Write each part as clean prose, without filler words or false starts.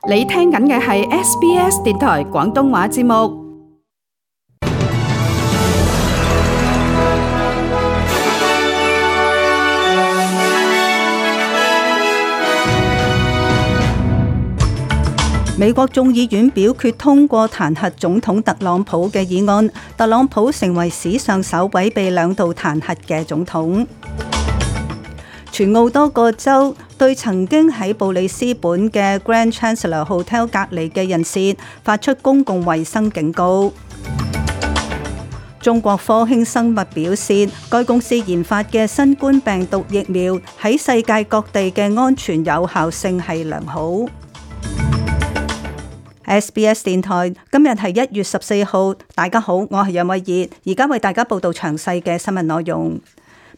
你聽緊嘅係 SBS 電台廣東話節目。美國眾議院表決通過彈劾總統特朗普嘅議案，特朗普成為史上首位被兩度彈劾嘅總統。全澳多個州對曾經喺布里斯本嘅 Grand Chancellor Hotel 隔離嘅人士發出公共衛生警告。中國科興生物表示，該公司研發嘅新冠病毒疫苗喺世界各地嘅安全有效性係良好。SBS 電台今日係1月14號，大家好，我係楊慧儀，而家為大家報道詳細嘅新聞內容。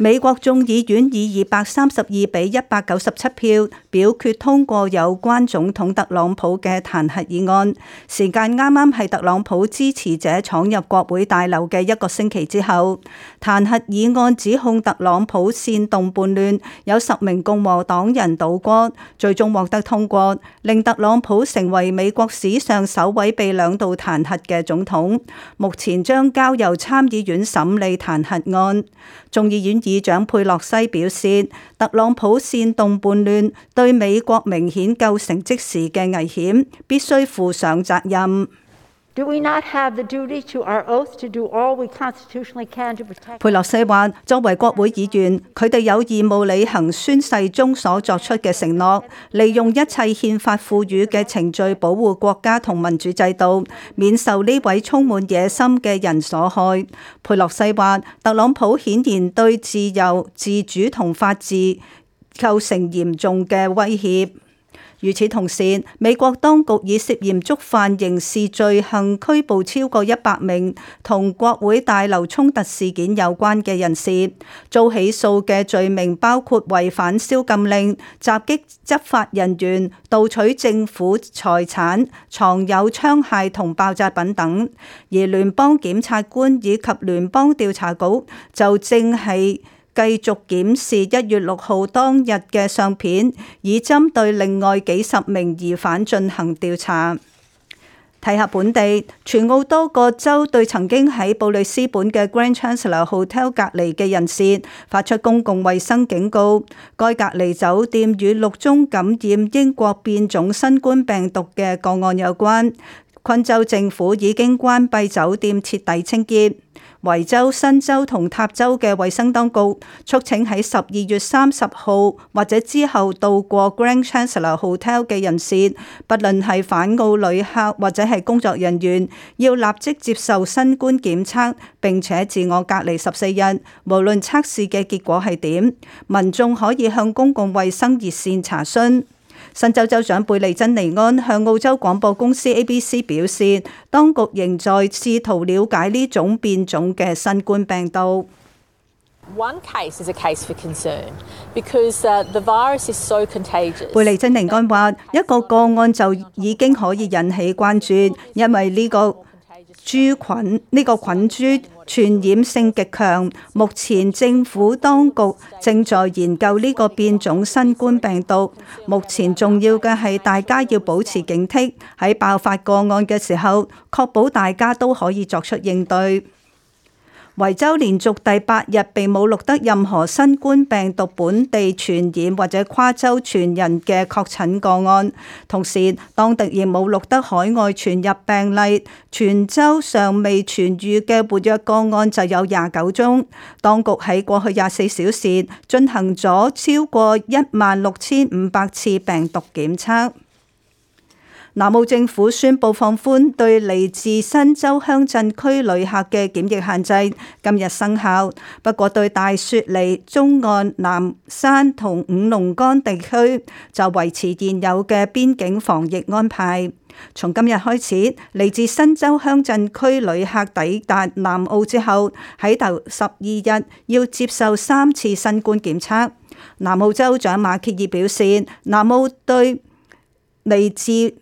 美國眾議院以232比197票表決通過有關總統特朗普嘅彈劾議案，時間啱啱係特朗普支持者闖入國會大樓嘅1個星期之後。彈劾議案指控特朗普煽動叛亂，有10名共和黨人倒戈，最終獲得通過，令特朗普成為美國史上首位被兩度彈劾嘅總統。目前將交由參議院審理彈劾案。眾議院議長佩洛西表示，特朗普煽動叛亂，對美國明顯構成即時嘅危險，必須負上責任。佩洛西話，作為國會議員，佢哋有義務履行宣誓中所作出嘅承諾，利用一切憲法賦予嘅程序保護國家同民主制度，免受呢位充滿野心嘅人所害。佩洛西話，特朗普顯然對自由、自主同法治構成嚴重嘅威脅。與此同時，美國當局以涉嫌觸犯刑事罪行拘捕超過100名同國會大樓衝突事件有關嘅人士，遭起訴嘅罪名包括違反宵禁令、襲擊執法人員、盜取政府財產、藏有槍械同爆炸品等。而聯邦檢察官以及聯邦調查局就正係繼續檢視1月6號當日嘅相片，以針對另外幾十名疑犯進行調查。睇下本地，全澳多個州對曾經喺布里斯本嘅 Grand Chancellor Hotel 隔離嘅人士發出公共衛生警告。該隔離酒店與6宗感染英國變種新冠病毒嘅個案有關。昆州政府已經關閉酒店，徹底清潔。維州、新州同塔州嘅衛生當局促請喺12月30號或者之後到過 Grand Chancellor Hotel 嘅人士，不論係返澳旅客或者係工作人員，要立即接受新冠檢測，並且自我隔離14日，無論測試嘅結果係點。民眾可以向公共衛生熱線查詢。新州州長貝利珍尼安向澳洲廣播公司 ABC 表示，當局仍在試圖了解呢種變種嘅新冠病毒。貝利珍尼安話，一個個案就已經可以引起關注，因為呢個菌株傳染性極強，目前政府當局正在研究呢個變種新冠病毒。目前重要嘅係大家要保持警惕，喺爆發個案嘅時候，確保大家都可以作出應對。維州連續第8日並冇錄得任何新冠病毒本地傳染或者跨州傳人嘅確診個案，同時當地亦冇錄得海外傳入病例。全州尚未痊癒嘅活躍個案就有29宗。當局喺過去24小時進行咗超過16,500次病毒檢測。南澳政府宣布放寬對嚟自新州鄉鎮區旅客嘅檢疫限制，今日生效。不過對大雪梨、中岸、南山同五龍崗地區就維持現有嘅邊境防疫安排。從今日開始，嚟自新州鄉鎮區旅客抵達南澳之後，喺頭12日要接受3次新冠檢測。南澳州長馬歇爾表示，南澳對嚟自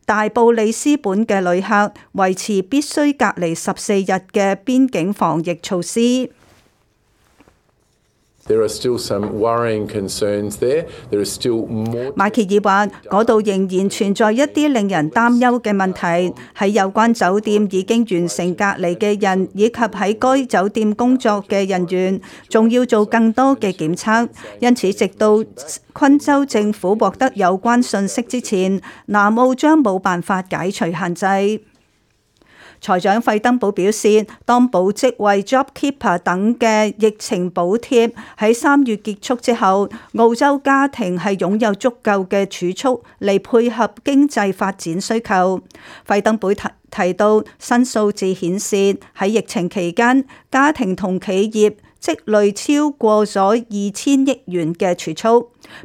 大布里斯本嘅旅客維持必須隔離14日嘅邊境防疫措施。There are still some worrying concerns there. There is still more.馬歇爾話：嗰度仍然存在一啲令人擔憂嘅問題，喺有關酒店已經完成隔離嘅人，以及喺該酒店工作嘅人員，仲要做更多嘅檢測。因此，直到昆州政府獲得有關信息之前，南澳將冇辦法解除限制。財長費登堡表示，當保職位 JobKeeper 等嘅疫情補貼喺3月結束之後，澳洲家庭係擁有足夠嘅儲蓄嚟配合經濟發展需求。費登堡提到，新數字顯示喺疫情期間，家庭同企業積累超過咗2000億元嘅儲蓄。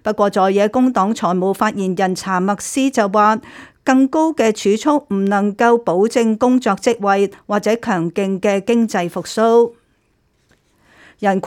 不過，在野工黨財務發言人查默斯就話，更高嘅儲蓄唔能夠保證工作職位或者強勁嘅經濟復甦。人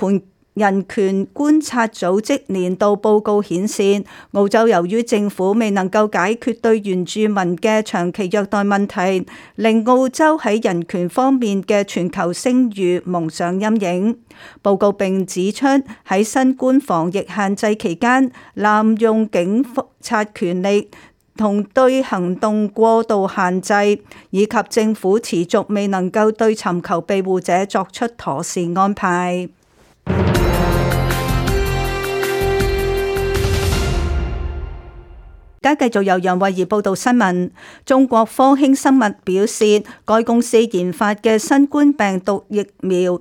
權觀察組織年度報告顯示，澳洲由於政府未能夠解決對原住民嘅長期虐待問題，令澳洲喺人權方面嘅全球聲譽蒙上陰影。報告並指出，喺新冠防疫限制期間，濫用警察權力同對行動過度限制，以及政府持續未能夠對尋求庇護者作出妥善安排。而家繼續由楊慧儀報道新聞。中國科興生物表示，該公司研發嘅新冠病毒疫苗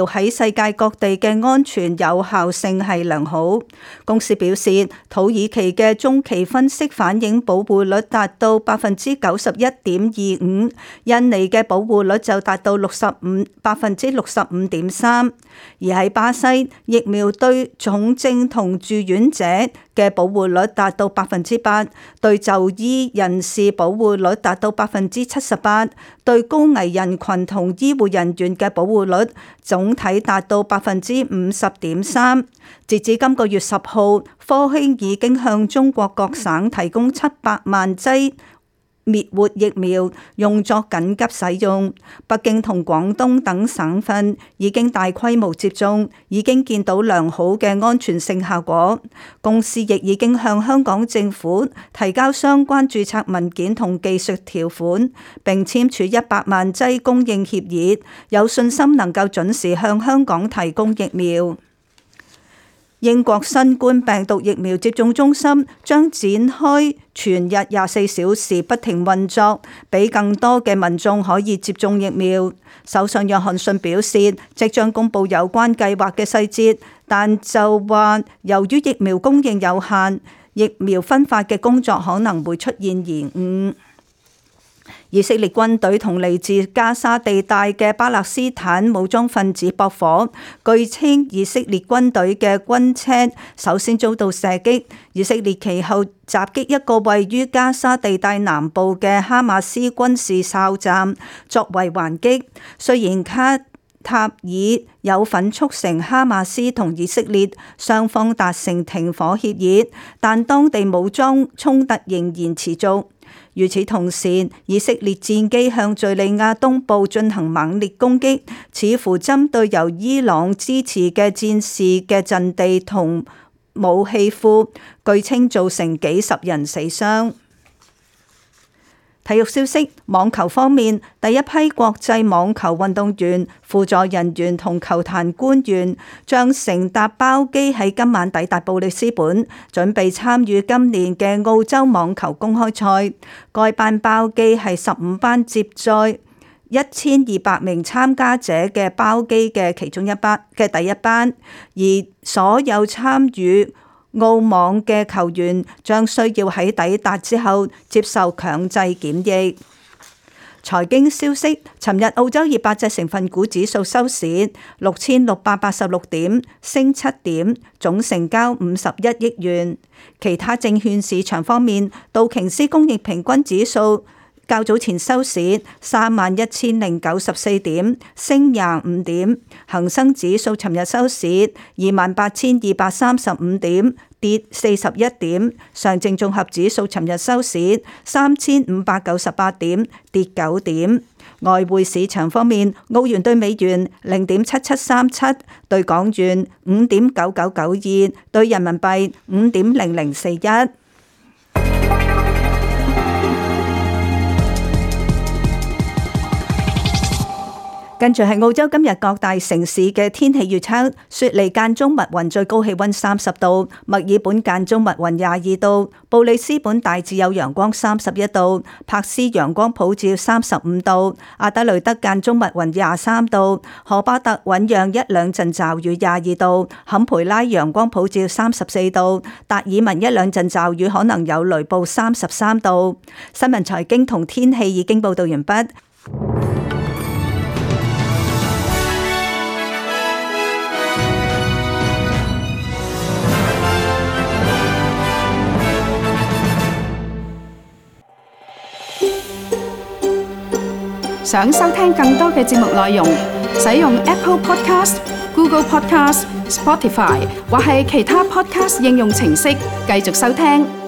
喺世界各地嘅安全有效性係良好。公司表示，土耳其嘅中期分析反映保護率達到91.25%，印尼嘅保護率就達到65.3%，而喺巴西，疫苗對重症同住院者嘅保護率達到8%，對就醫人士保護率達到78%，對高危人群同醫護人員嘅保護率總體達到50.3%。截至今個月10號，科興已經向中國各省提供700萬劑滅活疫苗用作緊急使用。北京同廣東等省份已經大規模接種，已經見到良好嘅安全性效果。公司亦已經向香港政府提交相關註冊文件同技術條款，並簽署100萬劑供應協議，有信心能夠準時向香港提供疫苗。英國新冠病毒疫苗接種中心將展開全日24小時不停運作，俾更多嘅民眾可以接種疫苗。首相約翰遜表示，即將公布有關計劃嘅細節，但就話由於疫苗供應有限，疫苗分發嘅工作可能會出現延誤。以色列軍隊同嚟自加沙地帶嘅巴勒斯坦武裝分子駁火，據稱以色列軍隊嘅軍車首先遭到射擊，以色列其後襲擊一個位於加沙地帶南部嘅哈馬斯軍事哨站，作為還擊。雖然卡塔爾有份促成哈馬斯同以色列雙方達成停火協議，但當地武裝衝突仍然持續。與此同時，以色列戰機向敘利亞東部進行猛烈攻擊，似乎針對由伊朗支持嘅戰士嘅陣地同武器庫，據稱造成幾十人死傷。體育消息，網球方面，第一批國際網球運動員、輔助人員同球壇官員將乘搭包機喺今晚抵達布里斯本，準備參與今年嘅澳洲網球公開賽。該班包機係15班接載1200名參加者嘅包機嘅其中一班嘅第一班，而所有參與澳網嘅球員將需要喺抵達之後接受強制檢疫。財經消息，尋日澳洲200隻成分股指數收市6686點，升7點，總成交51億元。其他證券市場方面，道瓊斯工業平均指數較早前收市31094點，升25點。恒生指數尋日收市28235點，跌41點。上證綜合指數尋日收市3598點，跌9點。外匯市場方面，澳元對美元0.7737，對港元5.9992，對人民幣5.0041。跟住係澳洲今日各大城市嘅天氣預測：雪梨間中密雲，最高氣溫30度；墨爾本間中密雲22度；布里斯本大致有陽光31度；柏斯陽光普照35度；阿德雷德間中密雲23度；荷巴特醞釀一兩陣驟雨22度；坎培拉陽光普照34度；達爾文一兩陣驟雨可能有雷暴33度。新聞財經同天氣已經報道完畢。想收聽更多嘅節目內容，使用 Apple Podcast、Google Podcast、Spotify 或係其他 Podcast 應用程式繼續收聽。